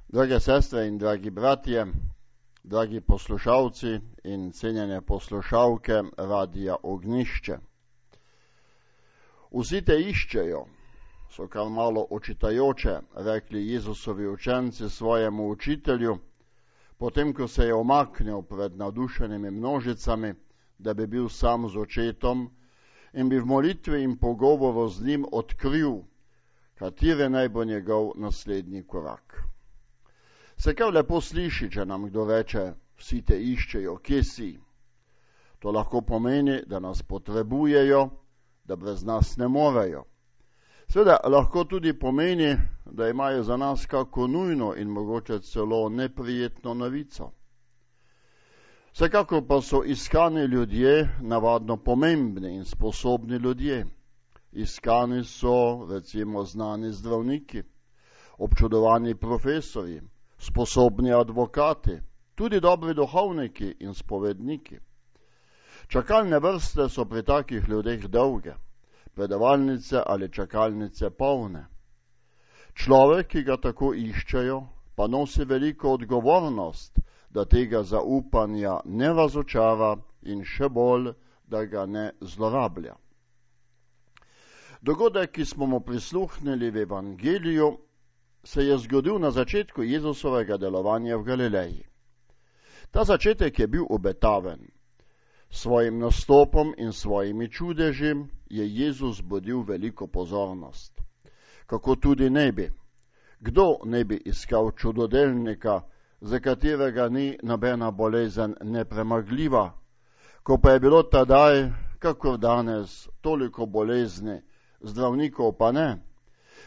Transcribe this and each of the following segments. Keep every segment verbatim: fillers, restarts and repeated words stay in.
Drage sestre in dragi bratje, dragi poslušalci in cenjene poslušalke Radija Ognjišče. Vsi te iščejo, so kar malo očitajoče rekli Jezusovi učenci svojemu učitelju, potem ko se je omaknil pred navdušenimi množicami, da bi bil sam z očetom in bi v molitvi in pogovoru z njim odkril, kateri naj bo njegov naslednji korak. Se kar lepo sliši, če nam kdo reče, vsi te iščejo, kje si. To lahko pomeni, da nas potrebujejo, da brez nas ne morejo. Seveda lahko tudi pomeni, da imajo za nas kako nujno in mogoče celo neprijetno novico. Vsekakor pa so iskani ljudje navadno pomembni in sposobni ljudje. Iskani so recimo znani zdravniki, občudovani profesorji, sposobni advokati, tudi dobri duhovniki in spovedniki. Čakalne vrste so pri takih ljudeh dolge, predavalnice ali čakalnice polne. Človek, ki ga tako iščejo, pa nosi veliko odgovornost, da tega zaupanja ne razočara in še bolj, da ga ne zlorablja. Dogodek, ki smo mu prisluhnili v Evangeliju, se je zgodil na začetku Jezusovega delovanja v Galileji. Ta začetek je bil obetaven. S svojim nastopom in svojimi čudeži je Jezus budil veliko pozornost. Kako tudi ne bi. Kdo ne bi iskal čudodelnika, za katerega ni nobena bolezen nepremagljiva, ko pa je bilo tedaj, kakor danes, toliko bolezni, zdravnikov pa ne.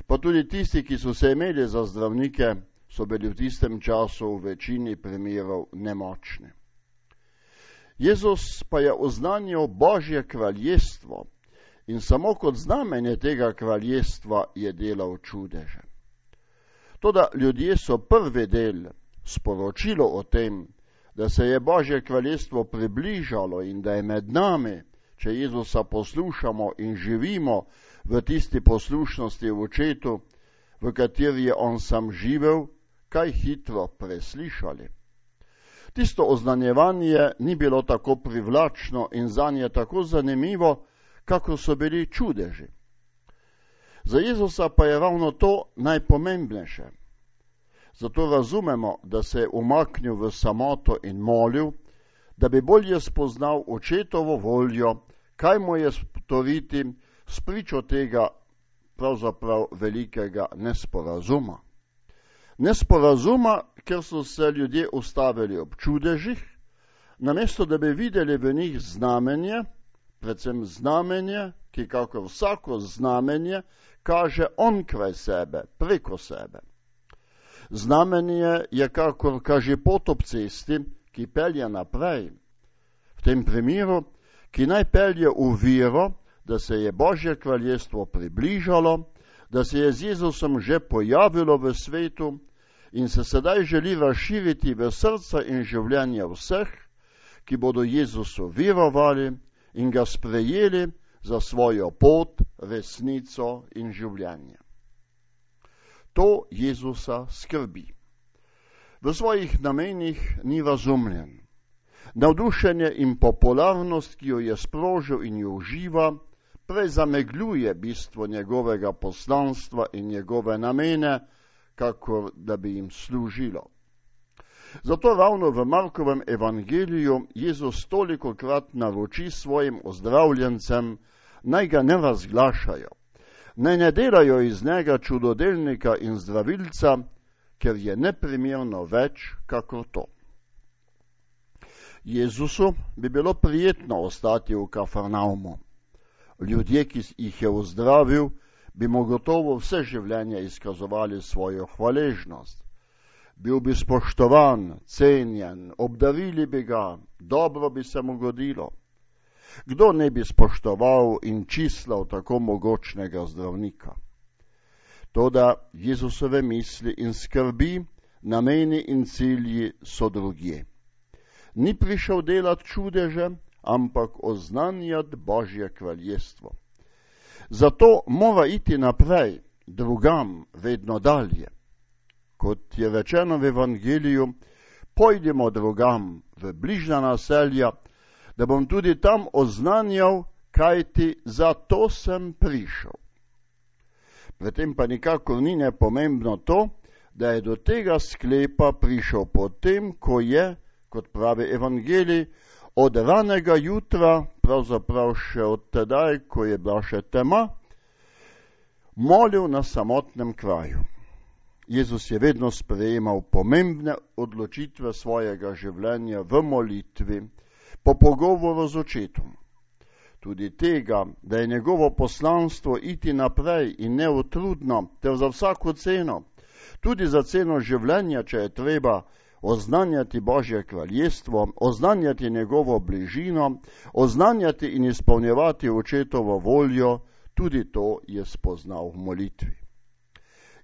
Pa tudi tisti, ki so se imeli za zdravnike, so bili v tistem času v večini primerov nemočni. Jezus pa je oznanjal Božje kraljestvo in samo kot znamenje tega kraljestva je delal čudeže. Toda ljudje so prvi del, sporočilo o tem, da se je Božje kraljestvo približalo in da je med nami, če Jezusa poslušamo in živimo v tisti poslušnosti v očetu, v kateri je on sam živel, kaj hitro preslišali. Tisto oznanjevanje ni bilo tako privlačno in zanje tako zanimivo, kako so bili čudeži. Za Jezusa pa je ravno to najpomembnejše. Zato razumemo, da se je umaknil v samoto in molil, da bi bolje spoznal očetovo voljo, kaj mu je storiti spričo tega pravzaprav velikega nesporazuma. Nesporazuma, ker so se ljudje ustavili ob čudežih, namesto da bi videli v njih znamenje, predvsem znamenje, ki kakor vsako znamenje kaže onkraj sebe, preko sebe. Znamenje je kakor kaže pot ob cesti, ki pelje naprej. V tem primeru, ki naj pelje v vero, da se je Božje kraljestvo približalo, da se je z Jezusom že pojavilo v svetu in se sedaj želi razširiti v srca in življenje vseh, ki bodo Jezusu verovali in ga sprejeli za svojo pot, resnico in življenje. To Jezusa skrbi. V svojih namenih ni razumljen. Navdušenje in popularnost, ki jo je sprožil in jo uživa, prej zamegljuje bistvo njegovega poslanstva in njegove namene, kakor da bi jim služilo. Zato ravno v Markovem evangeliju Jezus tolikokrat naroči svojim ozdravljencem, naj ga ne razglašajo, naj ne delajo iz njega čudodelnika in zdravilca, ker je neprimerno več kakor to. Jezusu bi bilo prijetno ostati v Kafarnaumu. Ljudje, ki jih je ozdravil, bi mu gotovo vse življenje izkazovali svojo hvaležnost. Bil bi spoštovan, cenjen, obdarili bi ga, dobro bi se mu godilo. Kdo ne bi spoštoval in čislal tako mogočnega zdravnika? Toda Jezusove misli in skrbi, nameni in cilji so drugje. Ni prišel delati čudeže, ampak oznanjati Božje kraljestvo. Zato mora iti naprej, drugam, vedno dalje. kot je rečeno v Evangeliju, pojdimo drugam v bližnja naselja, da bom tudi tam oznanjal, kaj ti za to sem prišel. Pri tem pa nikakor ni nepomembno to, da je do tega sklepa prišel potem, ko je, kot pravi Evangelij, od ranega jutra, pravzaprav še od tedaj, ko je bila še tema, molil na samotnem kraju. Jezus je vedno sprejemal pomembne odločitve svojega življenja v molitvi, po pogovoru z očetom. Tudi tega, da je njegovo poslanstvo iti naprej in neutrudno, ter za vsako ceno, tudi za ceno življenja, če je treba, oznanjati Božje kraljestvo, oznanjati njegovo bližino, oznanjati in izpolnjevati očetovo voljo, tudi to je spoznal v molitvi.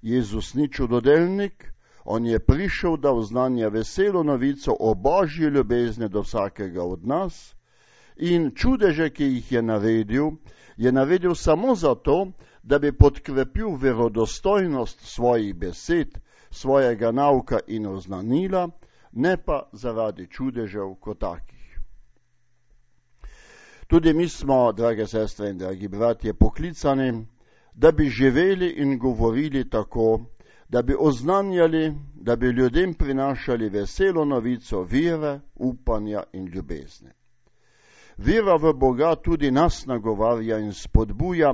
Jezus ni čudodelnik, on je prišel, da oznanja veselo novico o Božji ljubezni do vsakega od nas in čudeže, ki jih je naredil, je naredil samo zato, da bi podkrepil verodostojnost svojih besed, svojega nauka in oznanila, ne pa zaradi čudežev kot takih. Tudi mi smo, drage sestre in dragi bratje, poklicani, da bi živeli in govorili tako, da bi oznanjali, da bi ljudem prinašali veselo novico vere, upanja in ljubezni. Vera v Boga tudi nas nagovarja in spodbuja,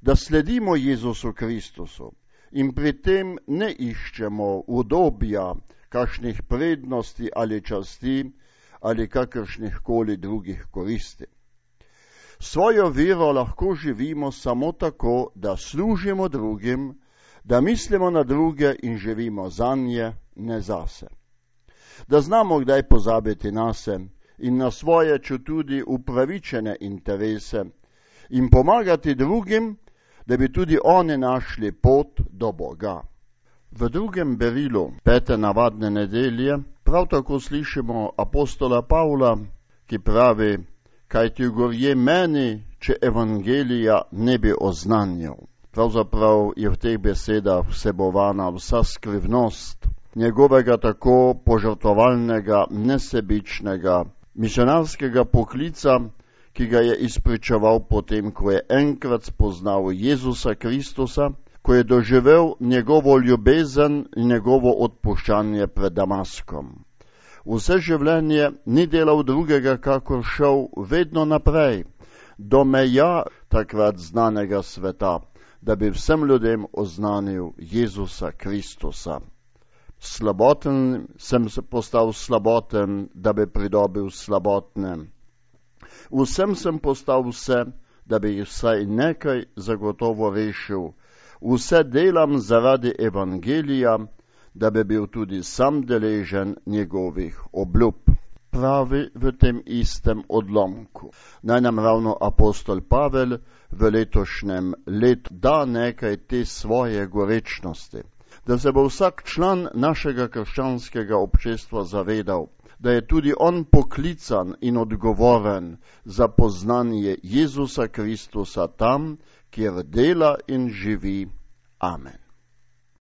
da sledimo Jezusu Kristusu in pri tem ne iščemo udobja, kakšnih prednosti ali časti ali kakršnih koli drugih koristi. Svojo vero lahko živimo samo tako, da služimo drugim, da mislimo na druge in živimo zanje, ne zase. Da znamo kdaj pozabiti nase in na svoje čutudi upravičene interese in pomagati drugim, da bi tudi oni našli pot do Boga. V drugem berilu pete navadne nedelje prav tako slišimo apostola Pavla, ki pravi: kaj ti gorje meni, če evangelija ne bi oznanjal. Pravzaprav je v teh besedah vsebovana vsa skrivnost njegovega tako požrtvovalnega, nesebičnega, misionarskega poklica, ki ga je izpričeval potem, ko je enkrat spoznal Jezusa Kristusa, ko je doživel njegovo ljubezen in njegovo odpuščanje pred Damaskom. Vse življenje ni delal drugega, kakor šel vedno naprej, do meja takrat znanega sveta, da bi vsem ljudem oznanil Jezusa Kristusa. Slaboten sem se postal slaboten, da bi pridobil slabotne. Vsem sem postal vse, da bi jih vsaj nekaj zagotovo rešil. Vse delam zaradi evangelija, da bi bil tudi sam deležen njegovih obljub. Pravi v tem istem odlomku. Naj nam ravno apostol Pavel v letošnjem letu da nekaj te svoje gorečnosti, da se bo vsak član našega krščanskega občestva zavedal, da je tudi on poklican in odgovoren za poznanje Jezusa Kristusa tam, kjer dela in živi. Amen.